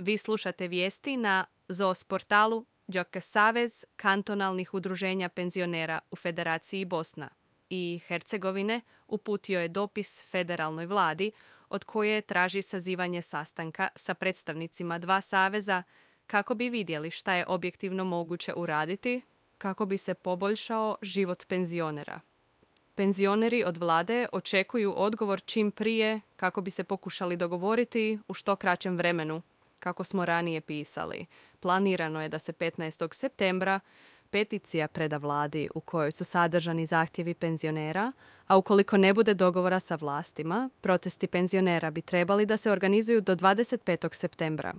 Vi slušate vijesti na ZOS portalu Đoka Savez kantonalnih udruženja penzionera u Federaciji Bosna i Hercegovine uputio je dopis federalnoj vladi od koje traži sazivanje sastanka sa predstavnicima dva saveza kako bi vidjeli šta je objektivno moguće uraditi kako bi se poboljšao život penzionera. Penzioneri od vlade očekuju odgovor čim prije kako bi se pokušali dogovoriti u što kraćem vremenu. Kako smo ranije pisali, planirano je da se 15. septembra peticija preda vladi u kojoj su sadržani zahtjevi penzionera, a ukoliko ne bude dogovora sa vlastima, protesti penzionera bi trebali da se organizuju do 25. septembra.